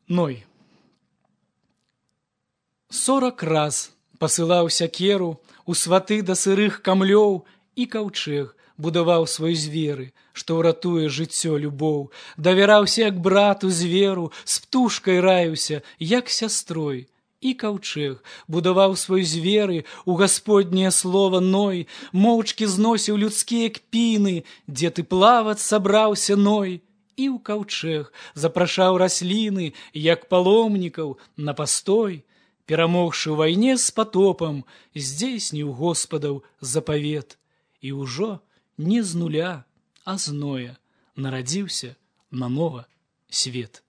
Ной. 40 раз пасылаў сякеру у сваты да сырых камлёў, і каўчэг будаваў свой зверы, што ўратуе жыццё любоў, давяраўся як брату зверу, з птушкай раіўся, як сястрой. І каўчэг будаваў свой зверы, у гасподняе слова Ной, моўчкі зносіў людскія кпіны, дзе ты плаваць сабраўся, Ной. І ў каўчэг запрашаў расліны, як паломнікаў, на пастой, перамогшы ў вайне з патопам, здзейсніў Господаў запавет. І ўжо не з нуля, а з Ноя нарадзіўся нанова свет.